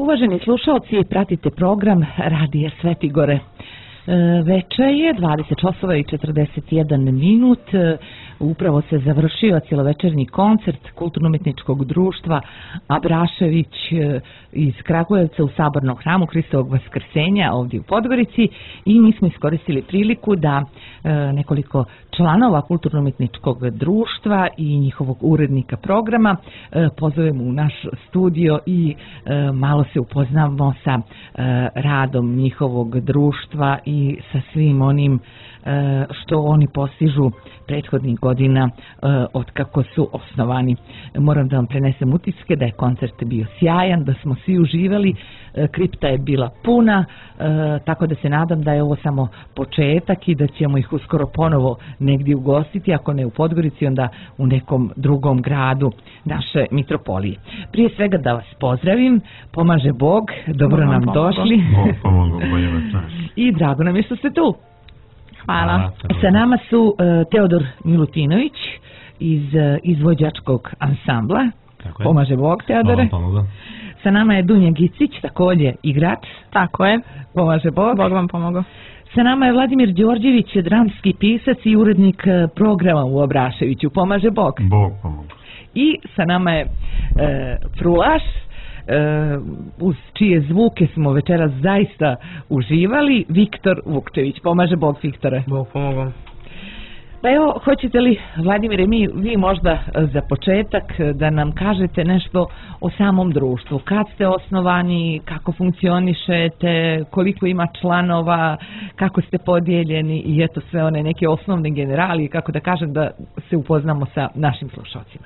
Uvaženi slušalci, pratite program Radija Sveti Gore. Veče je 20 časova i 41 minut. Upravo se završio cijelovečernji koncert Kulturno-umjetničkog društva Abrašević iz Kragujevca u Sabornom hramu Hristovog Vaskrsenja ovdje u Podgorici i mi smo iskoristili priliku da nekoliko članova Kulturno-umjetničkog društva i njihovog urednika programa pozovemo u naš studio i malo se upoznamo sa radom njihovog društva i sa svim onim što oni postižu prethodnih godina od kako su osnovani. Moram da vam prenesem utiske da je koncert bio sjajan, da smo svi uživali, kripta je bila puna, tako da se nadam da je ovo samo početak i da ćemo ih uskoro ponovo negdje ugostiti, ako ne u Podgorici, onda u nekom drugom gradu naše mitropolije. Prije svega da vas pozdravim, pomaže Bog, dobro nam došli. I drago nam je što ste tu. Hvala. Sa nama su Teodor Milutinović iz izvođačkog ansambla. Tako je. Pomaže Bog, Teodore. Hvala. Sa nama je Dunja Gicić, također igrač. Tako je. Pomaže Bog. Bog vam pomogao. Sa nama je Vladimir Đorđević, dramski pisac i urednik programa u Abraševiću. Pomaže Bog. Bog pomogao. I sa nama je frulaš, uz čije zvuke smo večeras zaista uživali, Viktor Vukčević. Pomaže Bog, Viktore. Bog pomogao. Pa evo, hoćete li, Vladimire, vi možda za početak da nam kažete nešto o samom društvu? Kad ste osnovani, kako funkcionišete, koliko ima članova, kako ste podijeljeni i eto sve one neke osnovne generalije, kako da kažem, da se upoznamo sa našim slušalcima.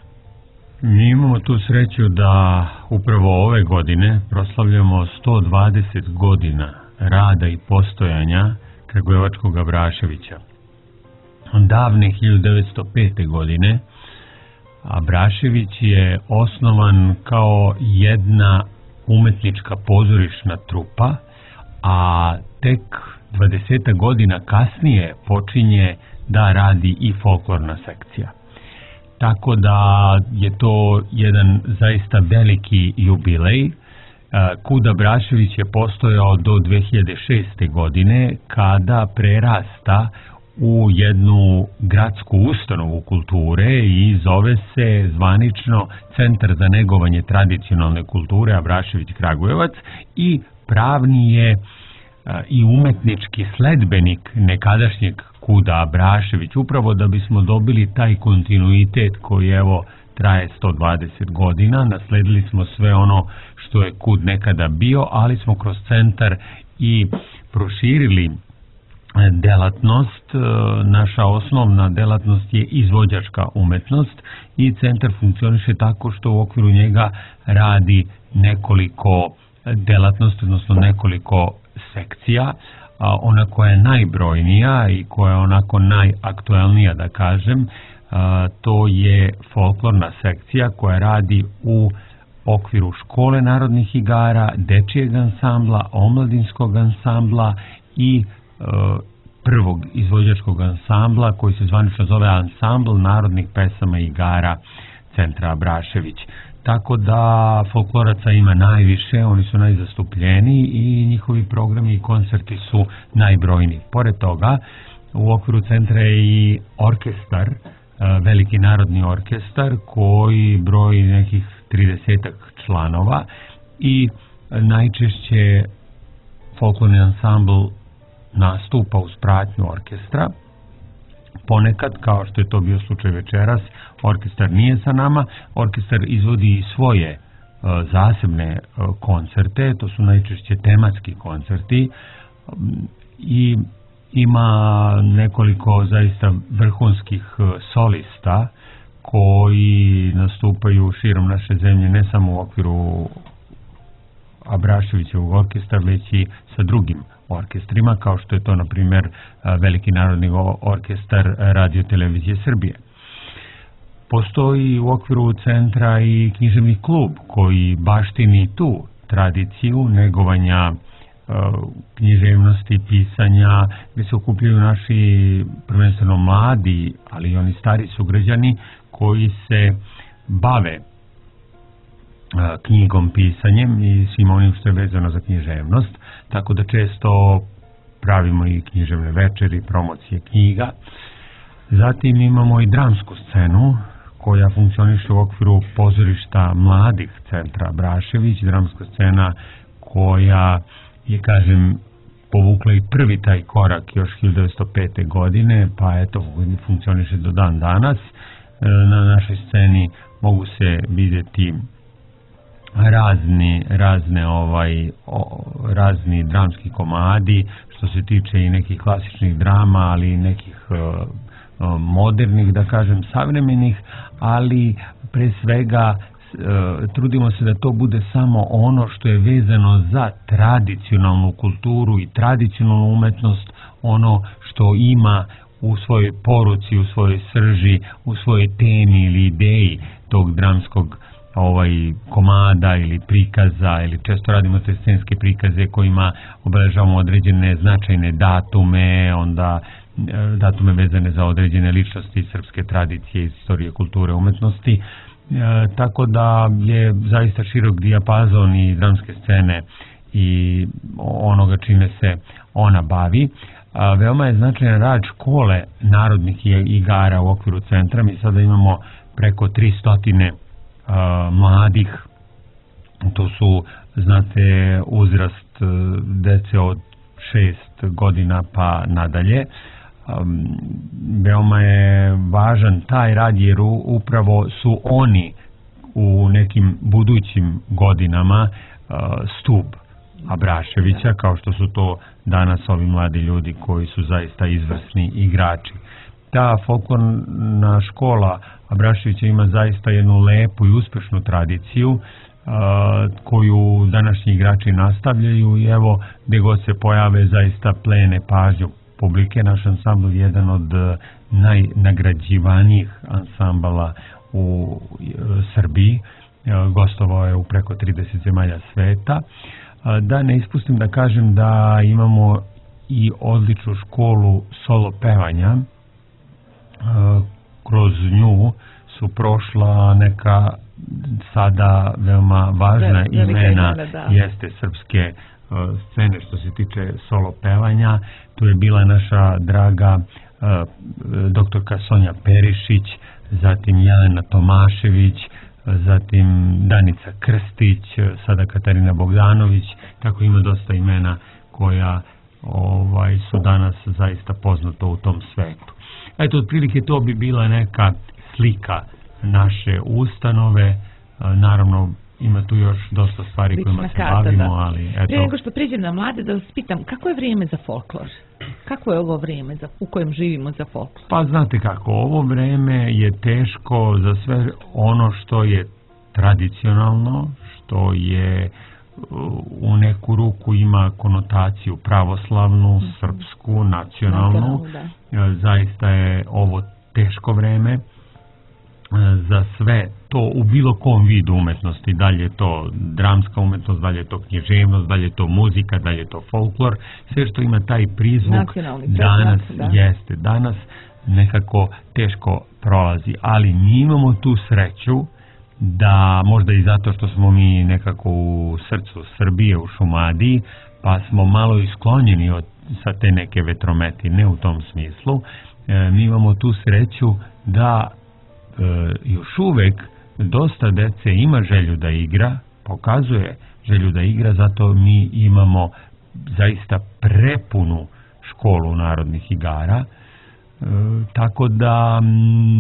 Mi imamo tu sreću da upravo ove godine proslavljamo 120 godina rada i postojanja Kragujevačkog Abraševića. Davne 1905. godine Abrašević je osnovan kao jedna umetnička pozorišna trupa, a tek 20 godina kasnije počinje da radi i folklorna sekcija. Tako da je to jedan zaista veliki jubilej. Kud Abrašević je postojao do 2006. godine kada prerasta u jednu gradsku ustanovu kulture i zove se zvanično Centar za negovanje tradicionalne kulture Abrašević Kragujevac i pravni je i umetnički sledbenik nekadašnjeg Kuda Abrašević, upravo da bismo dobili taj kontinuitet koji evo traje 120 godina. Nasledili smo sve ono što je Kud nekada bio, ali smo kroz centar i proširili delatnost. Naša osnovna delatnost je izvođačka umetnost i centar funkcioniše tako što u okviru njega radi nekoliko delatnosti, odnosno nekoliko sekcija. Ona koja je najbrojnija i koja je onako najaktuelnija, da kažem, to je folklorna sekcija koja radi u okviru Škole narodnih igara, dečijeg ansambla, omladinskog ansambla i prvog izvođačkog ansambla koji se zvanično zove Ansambl narodnih pesama i igara Centra Abrašević. Tako da folkloraca ima najviše, oni su najzastupljeniji i njihovi programi i koncerti su najbrojniji. Pored toga, u okviru centra je i orkestar, veliki narodni orkestar koji broji nekih 30 članova i najčešće folklorni ansambl nastupa uz pratnju orkestra. Ponekad, kao što je to bio slučaj večeras, orkestar nije sa nama, orkestar izvodi i svoje zasebne koncerte, to su najčešće tematski koncerti i ima nekoliko zaista vrhunskih solista koji nastupaju širom naše zemlje, ne samo u okviru Abraševićevog orkestra, već i sa drugim orkestrima, kao što je to, na primjer, Veliki narodni orkestar Radio televizije Srbije. Postoji u okviru centra i književni klub koji baštini tu tradiciju negovanja književnosti, pisanja, gdje se okupljaju naši prvenstveno mladi, ali i oni stari sugrađani koji se bave knjigom, pisanjem i svim onim što je vezano za književnost, tako da često pravimo i književne večeri, promocije knjiga. Zatim imamo i dramsku scenu koja funkcioniše u okviru pozorišta mladih centra Brašević, dramska scena koja je, kažem, povukla i prvi taj korak još 1905. godine, pa eto, funkcioniše do dan danas. Na našoj sceni mogu se vidjeti razni dramski komadi, što se tiče i nekih klasičnih drama, ali i nekih modernih, da kažem, savremenih, ali pre svega trudimo se da to bude samo ono što je vezano za tradicionalnu kulturu i tradicionalnu umetnost, ono što ima u svojoj poruci, u svojoj srži, u svojoj temi ili ideji tog dramskog komada ili prikaza, ili često radimo te scenske prikaze kojima obeležavamo određene značajne datume, onda datume vezane za određene ličnosti srpske tradicije, istorije, kulture, umetnosti. Tako da je zaista širok dijapazon i dramske scene i onoga čime se ona bavi. Veoma je značajan rad škole narodnih igara u okviru centra. Mi sada imamo preko 300 mladih. To su, znate, uzrast dece od 6 godina pa nadalje. Veoma je važan taj rad jer upravo su oni u nekim budućim godinama stup Abraševića, kao što su to danas ovi mladi ljudi koji su zaista izvrsni igrači. Ta folklorna škola Abraševića ima zaista jednu lepu i uspešnu tradiciju koju današnji igrači nastavljaju i evo gdje god se pojave zaista plene pažnju publike. Naš ansambl je jedan od najnagrađivanijih ansambala u Srbiji, gostovao je u preko 30 zemalja sveta. Da ne ispustim da kažem da imamo i odličnu školu solo pevanja. Kroz nju su prošla neka sada veoma važna imena, jeste srpske scene što se tiče solo pevanja. Tu je bila naša draga doktorka Sonja Perišić, zatim Jelena Tomašević, zatim Danica Krstić, sada Katarina Bogdanović, tako ima dosta imena koja su danas zaista poznato u tom svetu. Eto, otprilike to bi bila neka slika naše ustanove. Naravno, ima tu još dosta stvari kojima se bavimo, ali eto. Prije nego što priđem na mlade, da vas pitam, kako je vrijeme za folklor? Kako je ovo vrijeme u kojem živimo za folklor? Pa znate kako, ovo vrijeme je teško za sve ono što je tradicionalno, što je u neku ruku ima konotaciju pravoslavnu, srpsku, nacionalnu. Zaista je ovo teško vrijeme za sve to u bilo kom vidu umetnosti, da li je to dramska umetnost, da li je to književnost, da li je to muzika, da li je to folklor, sve što ima taj prizvuk danas jeste, danas nekako teško prolazi, ali mi imamo tu sreću da možda i zato što smo mi nekako u srcu Srbije, u Šumadiji, pa smo malo isklonjeni sa te neke vetrometine u tom smislu. Mi imamo tu sreću da još uvek dosta dece ima želju da igra, pokazuje želju da igra, zato mi imamo zaista prepunu školu narodnih igara, tako da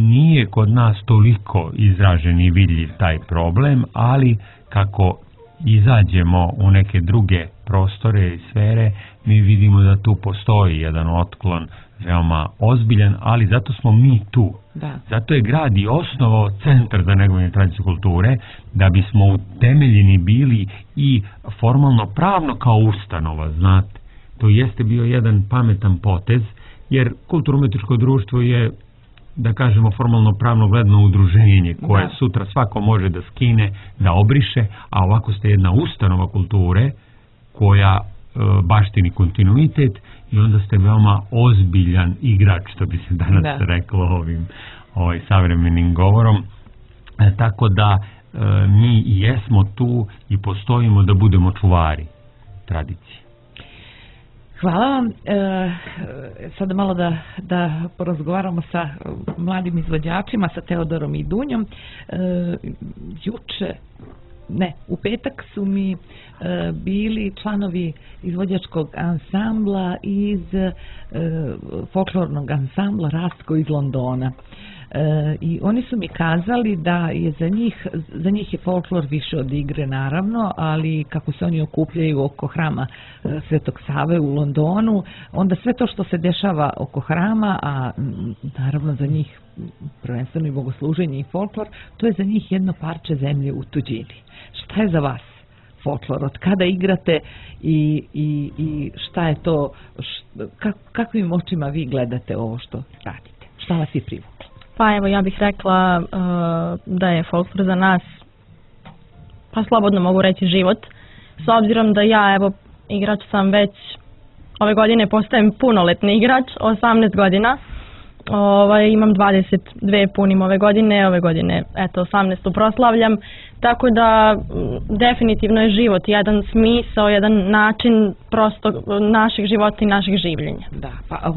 nije kod nas toliko izražen i vidljiv taj problem, ali kako izađemo u neke druge prostore i sfere, mi vidimo da tu postoji jedan otklon veoma ozbiljan, ali zato smo mi tu. Zato je grad i osnovao centar za negovanje tradicije kulture, da bismo utemeljeni bili i formalno pravno kao ustanova, znate. To jeste bio jedan pametan potez, jer kulturno-umetničko društvo je, da kažemo, formalno pravno gledano udruženje koje sutra svako može da skine, da obriše, a ovako ste jedna ustanova kulture koja baštini kontinuitet i onda ste veoma ozbiljan igrač, što bi se danas reklo ovim savremenim govorom. Tako da mi jesmo tu i postojimo da budemo čuvari tradicije. Hvala vam. Sada malo da porazgovaramo sa mladim izvođačima, sa Teodorom i Dunjom. U petak su mi bili članovi izvođačkog ansambla iz folklornog ansambla Rastko iz Londona. I oni su mi kazali da je za njih je folklor više od igre, naravno, ali kako se oni okupljaju oko hrama Svetog Save u Londonu, onda sve to što se dešava oko hrama, a naravno za njih prvenstveno i bogosluženje i folklor, to je za njih jedno parče zemlje u tuđini. Šta je za vas folklor? Od kada igrate i šta je to, kakvim očima vi gledate ovo što radite? Šta vas je privuklo? Pa evo, ja bih rekla da je folklor za nas, pa slobodno mogu reći, život. S obzirom da ja, evo, igrač sam već, ove godine postajem punoletni igrač, 18 godina. Imam 22 punim ove godine, eto, 18. proslavljam, tako da definitivno je život jedan smisao, jedan način prosto našeg života i našeg življenja. Da, pa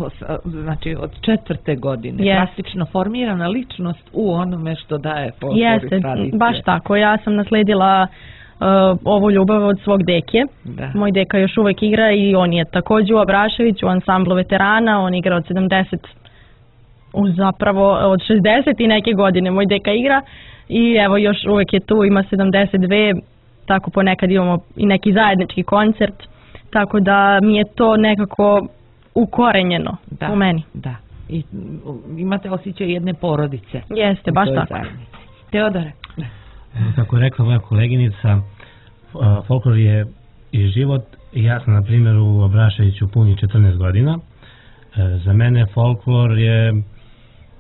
znači od 4. godine, praktično formirana ličnost u onome što daje folklor i tradicije. Jeste, baš tako, ja sam nasledila ovu ljubav od svog deke. Da. Moj deka još uvek igra i on je također u Abraševiću, u ansamblu veterana, on igra od 70, zapravo od 60 i neke godine moj deka igra i evo još uvek je tu, ima 72, tako ponekad imamo i neki zajednički koncert, tako da mi je to nekako ukorenjeno u meni. Da, i imate osjećaj jedne porodice. Jeste, baš tako. Teodore? Kako je rekla moja koleginica, folklor je i život. Ja sam na primjer u Abraševiću puni 14 godina. Za mene folklor je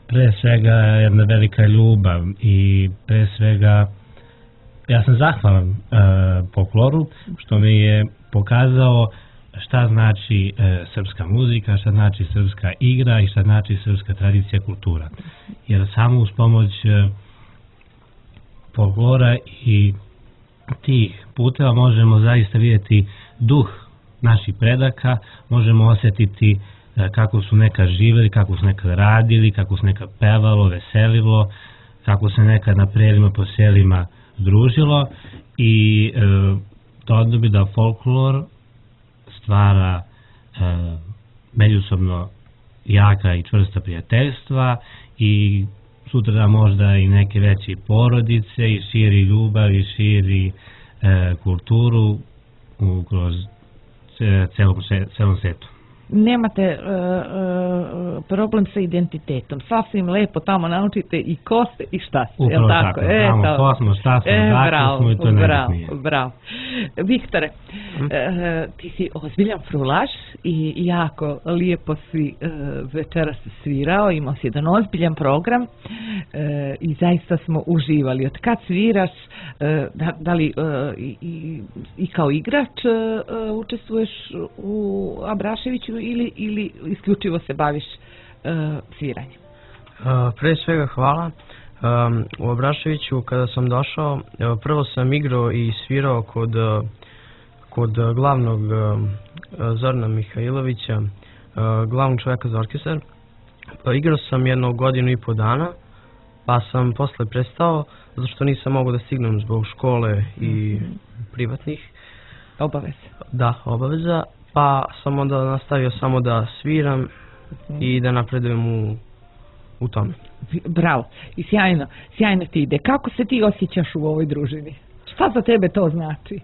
pre svega jedna velika ljubav i pre svega ja sam zahvalan folkloru što mi je pokazao šta znači srpska muzika, šta znači srpska igra i šta znači srpska tradicija, kultura. Jer samo uz pomoć folklora i tih puteva možemo zaista vidjeti duh naših predaka, možemo osjetiti kako su nekad živjeli, kako su nekad radili, kako su nekad pevalo, veselilo, kako se nekad na prelima po selima družilo i to bi da folklor stvara međusobno jaka i čvrsta prijateljstva i sutra možda i neke veće porodice i širi ljubav i širi kulturu kroz celom svijetu. Nemate problem sa identitetom. Sasvim lepo tamo naučite i ko ste i šta ste. Upravo tako. Znamo ko smo, šta smo, dakle smo i to najbitnije. Bravo. Viktore, ti si ozbiljan frulaš i jako lijepo si večeras svirao. Imao si jedan ozbiljan program i zaista smo uživali. Od kad sviraš, da li i kao igrač učestvuješ u Abraševiću ili isključivo se baviš sviranjem? Pre svega hvala. U Abraševiću kada sam došao, prvo sam igrao i svirao kod glavnog Zorana Mihajlovića, glavnog čovjeka za orkestar. Igrao sam 1 godinu i po dana, pa sam posle prestao, zato što nisam mogao da stignem zbog škole i privatnih obaveza. Da, obaveza. Pa sam onda nastavio samo da sviram i da napredujem u tome. Bravo. I sjajno ti ide. Kako se ti osjećaš u ovoj družini? Šta za tebe to znači?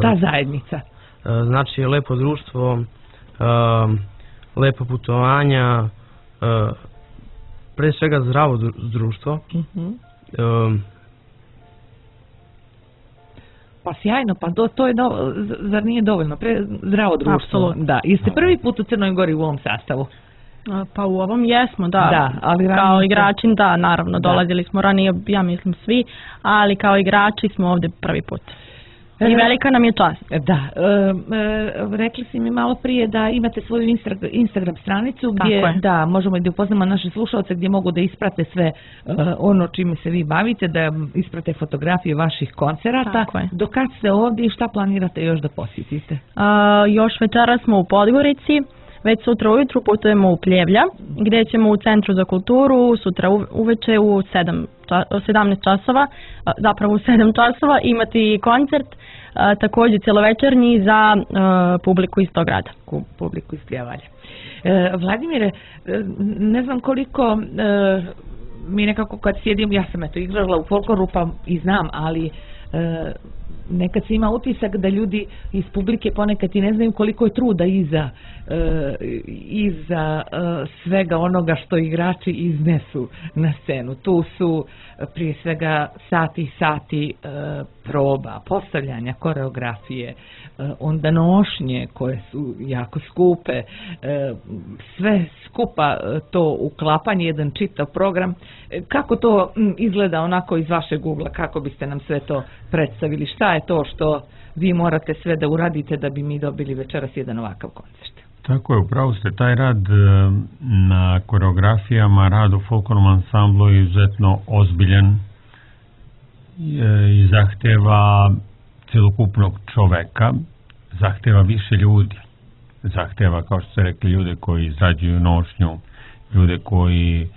Ta zajednica? Znači lepo društvo, lepo putovanja, pre svega zdravo društvo. Pa sjajno, pa to je zar nije dovoljno? Zdravo društvo. Apsolutno. Da. Jeste prvi put u Crnoj Gori u ovom sastavu? Pa u ovom jesmo, da. Ali kao igrači, da, naravno, dolazili smo ranije, ja mislim svi, ali kao igrači smo ovdje prvi put. I velika nam je čast. Da, rekli si mi malo prije da imate svoju Instagram stranicu gdje da možemo i da upoznamo naše slušalce gdje mogu da isprate sve ono čime se vi bavite, da isprate fotografije vaših koncerata. Do kad ste ovdje i šta planirate još da posjetite? Još večera smo u Podgorici. Već sutra ujutru putujemo u Pljevlja, gdje ćemo u Centru za kulturu sutra uveče u 17 časova, zapravo u 7 časova imati koncert, također cjelovečernji za publiku iz tog grada. Publiku iz Pljevalja. Vladimire, ne znam koliko mi nekako kad sjedim, ja sam igrala u folkloru pa i znam, ali nekad se ima utisak da ljudi iz publike ponekad i ne znaju koliko je truda iza svega onoga što igrači iznesu na scenu. Tu su prije svega sati proba, postavljanja koreografije, onda nošnje koje su jako skupe, sve skupa to uklapanje, jedan čitav program. Kako to izgleda onako iz vašeg ugla, kako biste nam sve to predstavili? Šta je to što vi morate sve da uradite da bi mi dobili večeras jedan ovakav koncert? Tako je, upravo ste, taj rad na koreografijama, rad u folklornom ansamblu je izuzetno ozbiljan i zahteva celokupnog čoveka, zahteva više ljudi, zahteva, kao što ste rekli, ljude koji izrađuju nošnju, ljude koji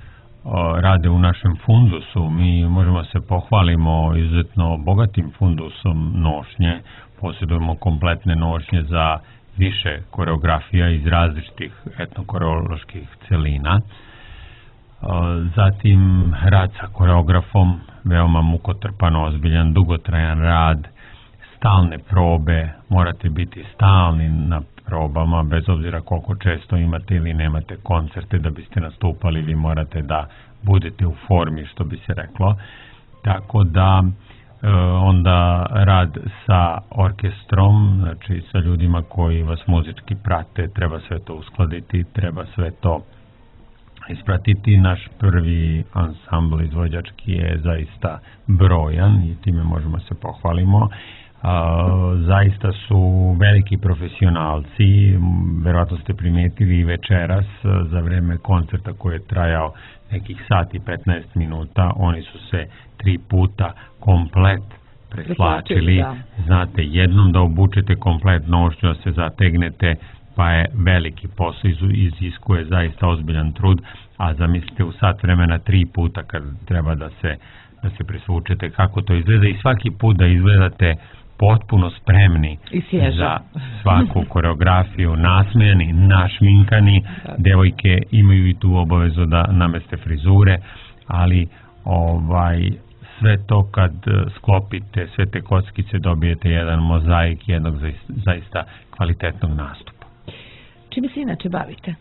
rade u našem fundusu. Mi možemo se pohvalimo izuzetno bogatim fundusom nošnje, posjedujemo kompletne nošnje za više koreografija iz različitih etnokoreoloških celina. Zatim rad sa koreografom, veoma mukotrpan, ozbiljan, dugotrajan rad, stalne probe, morate biti stalni na probama, bez obzira koliko često imate ili nemate koncerte da biste nastupali, vi morate da budete u formi, što bi se reklo. Tako da onda rad sa orkestrom, znači sa ljudima koji vas muzički prate, treba sve to uskladiti, treba sve to ispratiti. Naš prvi ansambl izvođački je zaista brojan i time možemo se pohvalimo. Zaista su veliki profesionalci, verovatno ste primetili i večeras za vreme koncerta koji je trajao nekih sati 15 minuta, oni su se 3 puta komplet preslačili. Znate, jednom da obučete komplet nošnju, da se zategnete, pa je veliki posao, iziskuje zaista ozbiljan trud, a zamislite u sat vremena 3 puta kad treba da se presvučete, kako to izgleda i svaki put da izgledate potpuno spremni za svaku koreografiju, nasmejani, našminkani. Devojke imaju i tu obavezu da nameste frizure, ali sve to kad sklopite, sve te kockice, dobijete jedan mozaik jednog zaista kvalitetnog nastupa. Čime se inače bavite?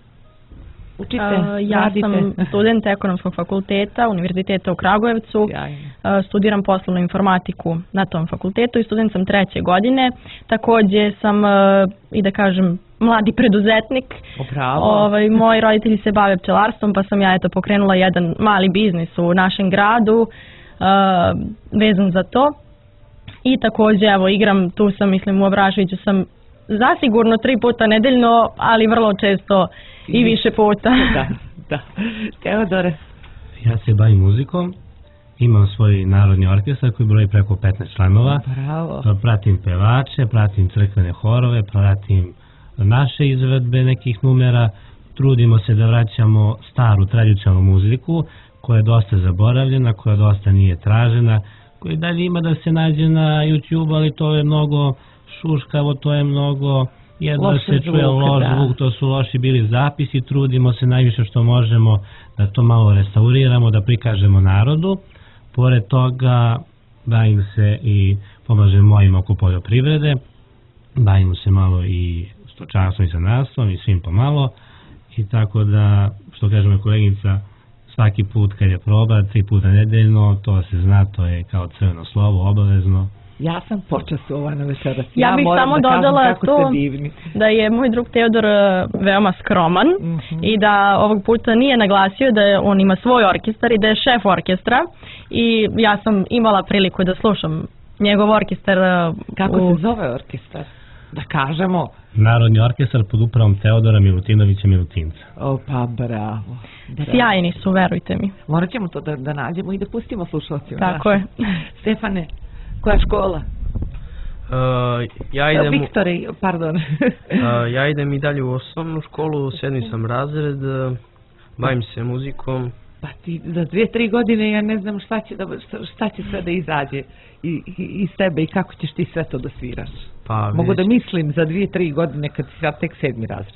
Ja sam student ekonomskog fakulteta Univerziteta u Kragujevcu. Studiram poslovnu informatiku na tom fakultetu i student sam 3. godine. Također sam i da kažem mladi preduzetnik. Moji roditelji se bave pčelarstvom, pa sam ja pokrenula jedan mali biznis u našem gradu vezan za to. I također igram, tu sam, mislim, u Abraševiću sam zasigurno 3 puta nedeljno, ali vrlo često i više puta. Da. Teodore? Ja se bavim muzikom, imam svoj narodni orkestar koji broji preko 15 članova. Bravo. Pratim pevače, pratim crkvene horove, pratim naše izvedbe nekih numera, trudimo se da vraćamo staru tradicionalnu muziku koja je dosta zaboravljena, koja dosta nije tražena, koja dalje ima da se nađe na YouTube, ali to je mnogo šuškavo, to je mnogo jedno se čuje loš zvuk, to su loši bili zapisi, trudimo se najviše što možemo da to malo restauriramo, da prikažemo narodu. Pored toga bavim se i pomažem mojim oko poljoprivrede, bavimo se malo i stočarstvom i zanatstvom i svim pomalo, i tako da, što kažemo koleginica, svaki put kad je proba, 3 puta nedeljno, to se zna, to je kao crveno slovo, obavezno. Ja sam počastovana večeras. Ja bih samo dodala to da je moj drug Teodor veoma skroman i da ovog puta nije naglasio da on ima svoj orkestar i da je šef orkestra, i ja sam imala priliku da slušam njegov orkestar. Kako se zove orkestar? Da kažemo. Narodni orkestar pod upravom Teodora Milutinovića Milutinca. O, pa bravo. Sjajni su, verujte mi. Morat ćemo to da nađemo i da pustimo slušalcima. Tako je. Stefane, koja škola? Ja idem... Viktore, pardon. Ja idem i dalje u osnovnu školu, 7. sam razred, bavim se muzikom. Pa ti za 2-3 godine ja ne znam šta će sve da izađe iz tebe i kako ćeš ti sve to da sviraš. Pa, mogu da mislim za 2-3 godine kad si sad tek 7. razred.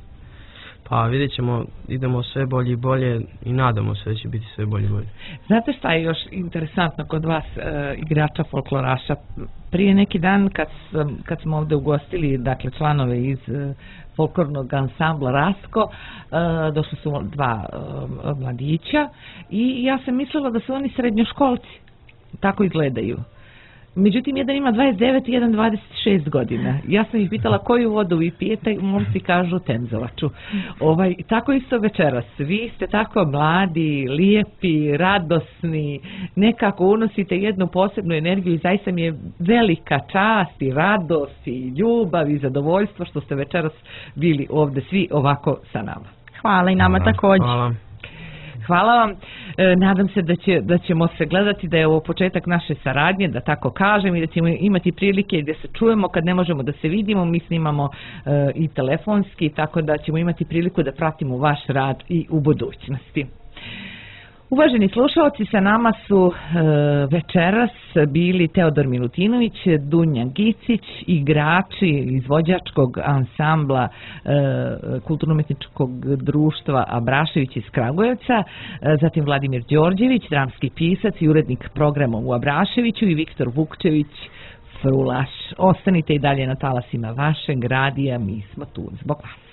Pa vidjet ćemo, idemo sve bolje i bolje i nadamo se da će biti sve bolje i bolje. Znate šta je još interesantno kod vas, igrača folkloraša? Prije neki dan kad smo ovdje ugostili, dakle, članove iz folklornog ansambla Rasko, došli su 2 mladića i ja sam mislila da su oni srednjoškolci, tako izgledaju. Međutim, jedan ima 29 i jedan 26 godina. Ja sam ih pitala koju vodu vi pijete, momci kažu Temzovaču. Tako isto večeras. Vi ste tako mladi, lijepi, radosni, nekako unosite jednu posebnu energiju i zaista mi je velika čast i radost i ljubav i zadovoljstvo što ste večeras bili ovdje svi ovako sa nama. Hvala i nama također. Hvala. Hvala vam. Nadam se da ćemo se gledati, da je ovo početak naše saradnje, da tako kažem, i da ćemo imati prilike gdje se čujemo kad ne možemo da se vidimo. Mi snimamo i telefonski, tako da ćemo imati priliku da pratimo vaš rad i u budućnosti. Uvaženi slušalci, sa nama su večeras bili Teodor Milutinović, Dunja Gicić, igrači izvođačkog ansambla Kulturno-umetničkog društva Abrašević iz Kragujevca, zatim Vladimir Đorđević, dramski pisac i urednik programa u Abraševiću, i Viktor Vukčević, frulaš. Ostanite i dalje na talasima vašeg radija, mi smo tu zbog vas.